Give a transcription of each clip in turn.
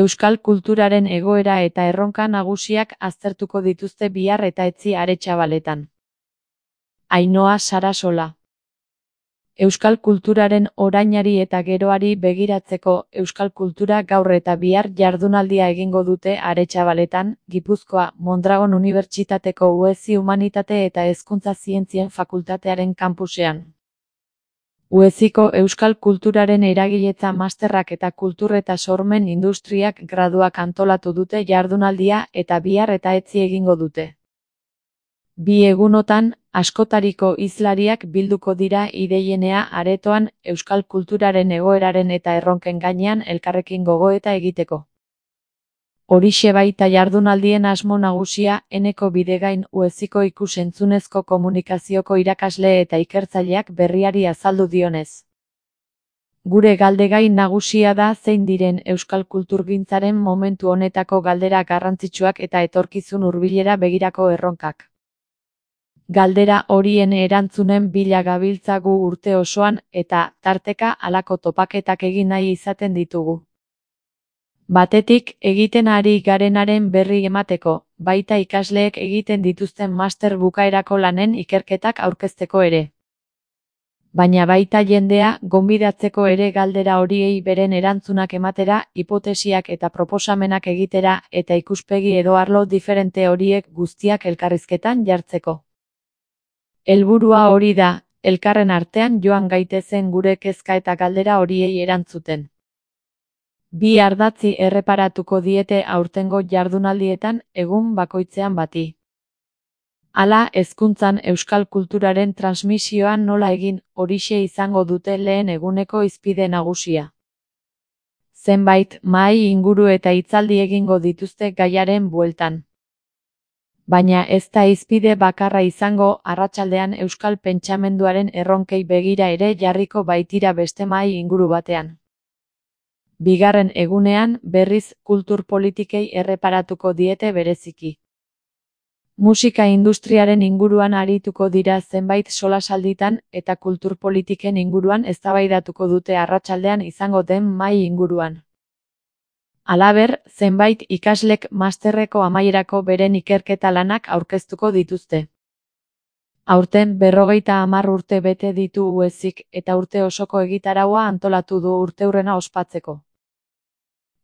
Euskal kulturaren egoera eta erronka nagusiak aztertuko dituzte bihar eta etzi Aretxabaletan. Ainhoa Sarasola. Euskal kulturaren orainari eta geroari begiratzeko Euskal Kultura gaur eta bihar jardunaldia egingo dute Aretxabaletan, Gipuzkoa, Mondragon Unibertsitateko Uezi Humanitate eta Hezkuntza Zientzien Fakultatearen kanpusean. Ueziko Euskal Kulturaren eragiletza masterrak eta kultur eta sormen industriak graduak antolatu dute jardunaldia eta bihar eta etzi egingo dute. Bi egunotan, askotariko hizlariak bilduko dira ideienea aretoan Euskal kulturaren egoeraren eta erronken gainean elkarrekin gogoeta egiteko. Horixe baita jardunaldien asmo nagusia, Eneko Bidegain Ueziko ikus-entzunezko komunikazioko irakasle eta ikertzaileak berriari azaldu dionez. Gure galdegai nagusia da zein diren Euskal kulturgintzaren momentu honetako galdera garrantzitsuak eta etorkizun hurbilera begirako erronkak. Galdera horien erantzunen bila gabiltzagu urte osoan eta, tarteka, halako topaketak egin nahi izaten ditugu. Batetik, egiten ari garenaren berri emateko, baita ikasleek egiten dituzten master bukaerako lanen ikerketak aurkezteko ere. Baina baita jendea gonbidatzeko ere galdera horiei beren erantzunak ematera, hipotesiak eta proposamenak egitera eta ikuspegi edo arlo diferente horiek guztiak elkarrizketan jartzeko. Helburua hori da, elkarren artean joan gaitezen gure kezka eta galdera horiei erantzuten. Bi ardatzi erreparatuko diete aurtengo jardunaldietan egun bakoitzean bati. Hala, hezkuntzan Euskal kulturaren transmisioan nola egin, horixe izango dute lehen eguneko hizpide nagusia. Zenbait mahai inguru eta hitzaldi egingo dituzte gaiaren bueltan. Baina ez da hizpide bakarra izango, arratsaldean Euskal pentsamenduaren erronkei begira ere jarriko baitira beste mahai inguru batean. Bigarren egunean, berriz, kultur politikei erreparatuko diete bereziki. Musika industriaren inguruan arituko dira zenbait solasalditan eta kultur politiken inguruan eztabaidatuko dute arratsaldean izango den mahai inguruan. Halaber, zenbait ikaslek masterreko amaierako beren ikerketa lanak aurkeztuko dituzte. Aurten 50 urte bete ditu Uezik eta urte osoko egitaraua antolatu du urteurrena ospatzeko.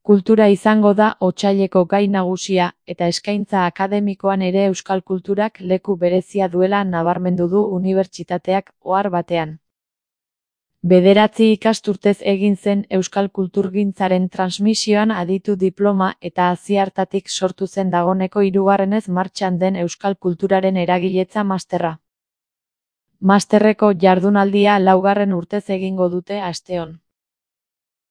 Kultura izango da otsaileko gai nagusia eta eskaintza akademikoan ere Euskal kulturak leku berezia duela nabarmendu du unibertsitateak ohar batean. 9 ikasturtez egin zen Euskal kulturgintzaren transmisioan aditu diploma eta hasi hartatik sortu zen dagoneko 3. martxan den Euskal kulturaren eragiletza masterra. Masterreko jardunaldia 4. urtez egingo dute asteon.